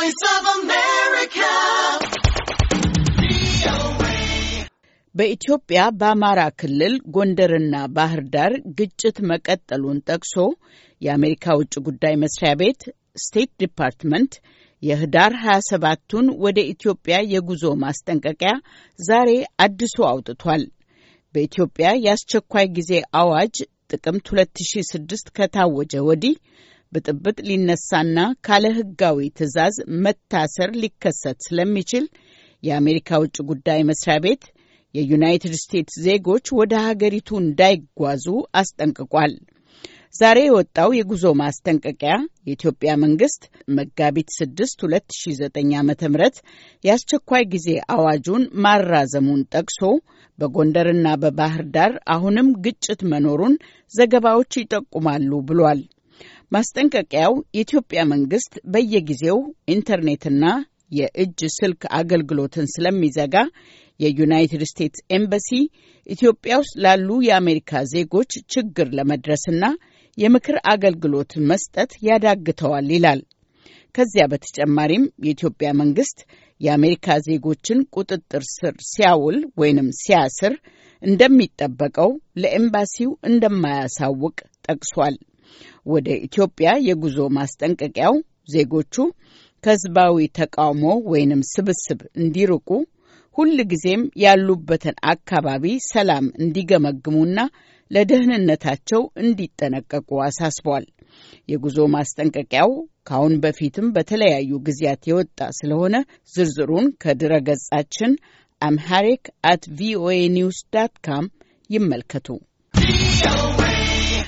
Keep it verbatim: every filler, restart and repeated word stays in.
voice of America. በኢትዮጵያ በአማራ ክልል ጎንደርና ባህር ዳር ግጭት መቀጠሉን ጠቅሶ የአሜሪካ ውጭ ጉዳይ መስሪያ ቤት ስቴት ዲፓርትመንት የህዳር ሃያ ሰባቱን ወደ ኢትዮጵያ የጉዞ ማስጠንቀቂያ ዛሬ አድሶ አውጥቷል። በኢትዮጵያ የአስቸኳይ ጊዜ አዋጅ ጥቅምት ሁለት ሺህ ስድስት ከታወጀ ወዲህ ብጥብጥ ሊነሳና ካለ ህጋዊ ትዕዛዝ መታሰር ሊከሰት ስለሚችል የአሜሪካ ውጭ ጉዳይ መስሪያ ቤት የዩናይትድ ስቴትስ ዜጎች ወደ ሀገሪቱ እንዳይጓዙ አስጠንቅቋል። ዛሬ የወጣው የጉዞ ማስጠንቀቂያ የኢትዮጵያ መንግስት መጋቢት ስድስት ሁለት ሺህ ዘጠኝ ዓመተ ምህረት የአስቸኳይ ጊዜ አዋጁን ማራዘሙን ጠቅሶ በጎንደርና በባህር ዳር አሁንም ግጭት መኖሩን ዘገባዎች ይጠቁማሉ ብሏል። ማስጠንቀቂያው የኢትዮጵያ መንግስት በየጊዜው ኢንተርኔትና የእጅ ስልክ አገልግሎትን ስለሚዘጋ የዩናይትድ ስቴትስ ኤምባሲ ኢትዮጵያ ውስጥ ላሉ የአሜሪካ ዜጎች ችግር ለመድረስና የምክር አገልግሎት መስጠት ያዳግተዋል ይላል። ከዚያ በተጨማሪም የኢትዮጵያ መንግስት የአሜሪካ ዜጎችን ቁጥጥር ስር ሲያውል ወይንም ሲያስር እንደሚጠበቀው ለኤምባሲው እንደማያሳውቅ ጠቅሷል። ወደ ኢትዮጵያ የጉዞ ማስጠንቀቂያው ዜጎቹ ከህዝባዊ ተቃውሞ ወይንም ስብስብ እንዲርቁ ሁል ጊዜም ያሉበትን አካባቢ ሰላም እንዲገመግሙና ለደህንነታቸው እንዲጠነቀቁ አሳስቧል። የጉዞ ማስጠንቀቂያው ካሁን በፊትም በተለያዩ ጊዜያት የወጣ ስለሆነ ዝርዝሩን ከድረ ገጻችን አምሃሪክ አት ቪኦኤ ኒውስ ዳት ካም ይመልከቱ።